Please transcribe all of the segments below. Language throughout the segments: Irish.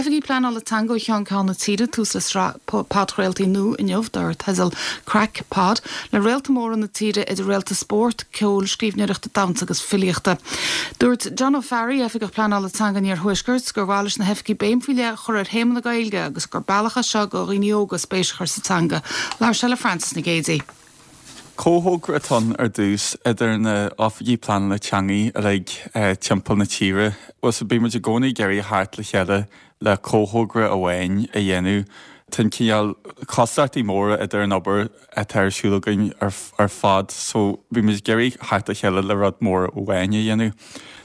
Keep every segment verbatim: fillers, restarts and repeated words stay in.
oifigigh pleanála teanga ó cheann ceann na tíre tús le sraith podchraoltaí nua inniu dar teideal Craic Pod le réalta móra na tíre idir réalta spóirt, ceoil, scríbhneoireachta, damhsa agus filíochta. Dúirt John O'Farry oifigeach pleanála teanga an Iarthuaiscirt gur mhaith leis na hoifigigh béim faoi leith a chur ar théama na Gaeilge agus gur bealach é seo do dhaoine óga spéis a chur sa teanga, Labhair sé le Francis Nic Géadaigh. Comhthogra atá ann ar dtús idir na oifigigh pleanála teanga uilig timpeall na tíre. Well so bíonn muid i gcónaí ag iarraidh theacht le chéile le comhthogra amháin a dhéanamh. Tá cineál cosúlachtaí móra idir an obair atá ar siúl againn ar, ar fad, so bhí muid ag iarraidh theacht le chéile le rud mór amháin a dhéanamh.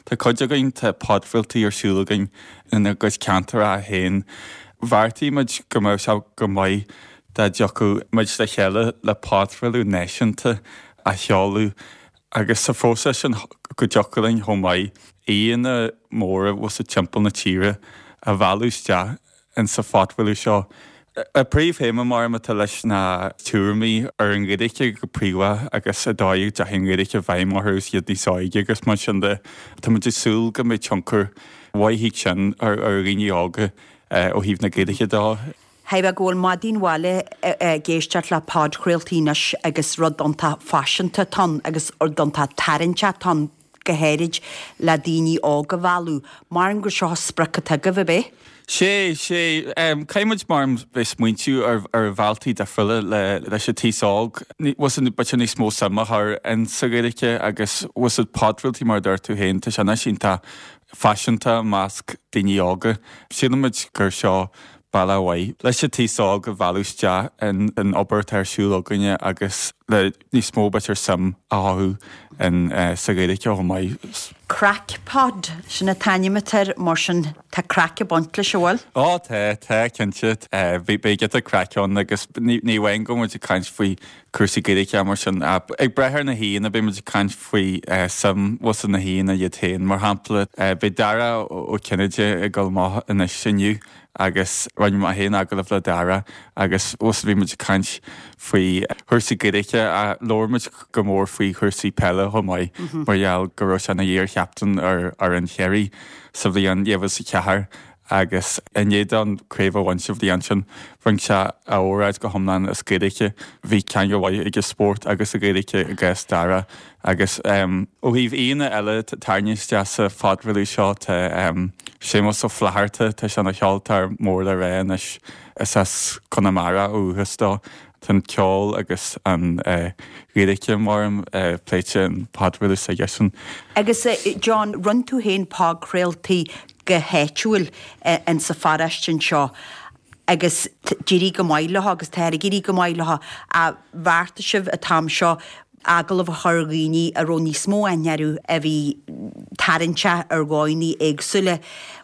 Tá cuid againn tá podchraoltaí ar siúl againn ina gcuid ceantar féin. Bheartaigh muid go mbeadh sé go maith dá dtiocfadh muid le chéile le podchraoladh náisiúnta a sheoladh agus sa phróiseas sin go dtiocfadh linn chomh maith aíonna móra bhfuil timpeall na tíre a mhealladh isteach in sa phodchraoladh seo. A príomhthéama mar atá leis na tuairimí ar an Ghaeilge go príomha agus an dóigh a dteachaigh an Ghaeilge i bhfeidhm orthu is iad níos óige agus mar sin de tá muid ag súil go mbeidh tionchar mhaith sin ar ar dhaoine óga ó thaobh na Gaeilge de. Thaibh go bhfuil maidin bhaile ag éisteacht le podchraoltaí anois agus rud iontach faiseanta atá ann agus rud iontach tarraingteach atá ann go háirid le daoine óga a mhealladh. Mar gur seo sprioc atá agaibh ab é? Sé sé caithfidh muid mar bheith smaointiú ar ar bhealtaí difriúla le leis an t-aos óg. B'fhéidir níos mó suim a chur in sa Ghaeilge agus bhfuil podchraoltaí mar dúirt tú féin tá sé anois iontach faiseanta i measc daoine óga. Sílimid gur seo bealach mhaith leis an t-aos óg a mhealladh isteach in an obair atá ar siúl againne agus le níos mó b'fhéidir suim a chothú in sa Ghaeilge chomh maith. Craic Pod sin an t-ainm atá air mar sin tá craic ag baint leis an bhfuil? Ó tá tá cinnte beidh giota craic ann agus ní amháin go muid ag caint faoi cúrsaí Gaeilge mar sin ag brath ar na haíonna beidh muid ag caint faoi suim bhfuil na haíonna iad féin mar shampla beidh Dara Ó Cinnéide ag dul amach anois inniu agus rinne mé féin agallamh le Dara agus bhí muid ag caint faoi chúrsaí Gaeilge a labhair muid go mór faoi chúrsaí peile chomh maith mar gheall go raibh sé ina iar-chaptaen ar ar an Chiarraí sa bhliain dhá mhíle is a ceathair agus i ndiaidh dó an craobh a bhaint sa bhliain sin rinne sé a óráid go hiomlán as Gaeilge bhí ceangal mhaith ag spórt agus a Gaeilge i gcás Dara agus um, ó thaobh aíonna eile tarraingthe isteach sa phodchraoladh seo tá um, Séamus Ó Flatharta tá sé ina cheoltóir mór le rá anois is as Conamara ó dhúchas dó Tá an ceol agus an Ghaeilge mar pléite an podchraoladh s'aigesean. Agus John, rinne tú féin podchraoltaí go háitiúil in sa pharóiste anseo agus d'éirigh go maith leo agus tá ag éirí go maith leo a bheartaigh sibh an t-am seo agallamh a chur ar dhaoine a raibh níos mó aithne orthu a bhí tarraingteach ar dhóigheanna éagsúla.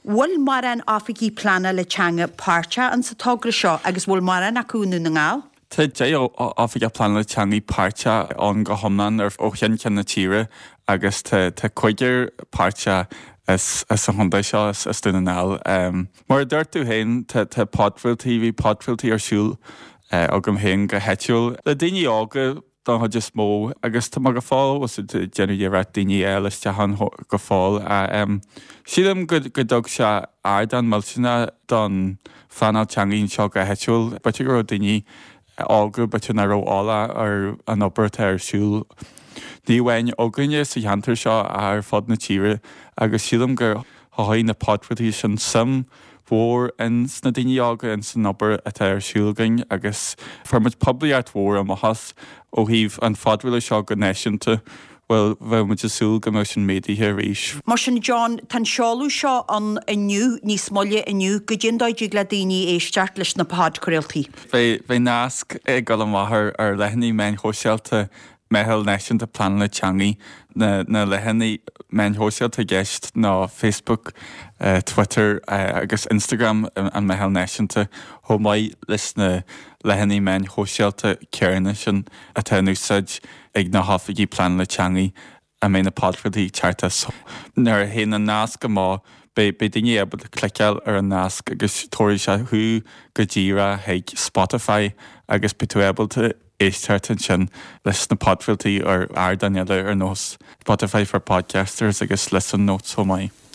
Bhfuil mórán oifigigh pleanála teanga páirteach in sa togra seo agus bhfuil mórán acu i nDún na nGall? Tá deich oifigeach pleanála teanga páirteach ann go hiomlán ar ó cheann ceann na tíre agus tá tá cúigear páirteach as as an chontae seo as as Dún na nGall. Um, mar a dúirt tú féin tá tá podchraoltaí bhí podchraoltaí ar siúl uh, agam féin go háitiúil le daoine óga don chuid is mó agus tá go fóill déanamh iarracht daoine eile isteach ann go fóill. Um, sílim go go dtug sé ardán millteanach don phleanáil teanga seo go háitiúil, B'fhéidir go raibh daoine óga b'fhéidir nach raibh eolach ar an obair atá ar siúl. Ní amháin againne sa cheantar seo ar fud na tíre agus sílim gur chothaigh na podchraoltaí sin suim mhór in sna daoine óga in san obair atá ar siúl againn agus fuair muid poiblíocht mhór amach as ó thaobh an phodchraoladh seo go náisiúnta. Well bheadh muid ag súil go mbeadh sin méadaithe arís. Mar sin John, tá an seoladh seo ann inniu níos moille inniu goidé an dóigh a dtig le daoine éisteacht leis na podchraoltaí. Beidh beidh nasc ag dul amach ar ar leathanaigh meáin shóisialta Meitheal Náisiúnta Pleanála Teanga na na leathanaigh meáin shóisialta i gceist ná Facebook, uh, Twitter uh, agus Instagram an Meitheal Náisiúnta chomh maith leis na leathanaigh meáin shóisialta céanna sin atá in úsáid ag na hoifigigh pleanála teanga a mbeidh na podchraoltaí teacht as. Nuair a théann an nasc amach beidh beidh daoine ábalta cliceáil ar an nasc agus tabharfaidh sé thú go díreach chuig Spotify agus beidh tú ábalta éisteacht ansin leis na podchraoltaí ar ardáin eile ar nós Spotify for Podcasters agus Listen Notes chomh maith.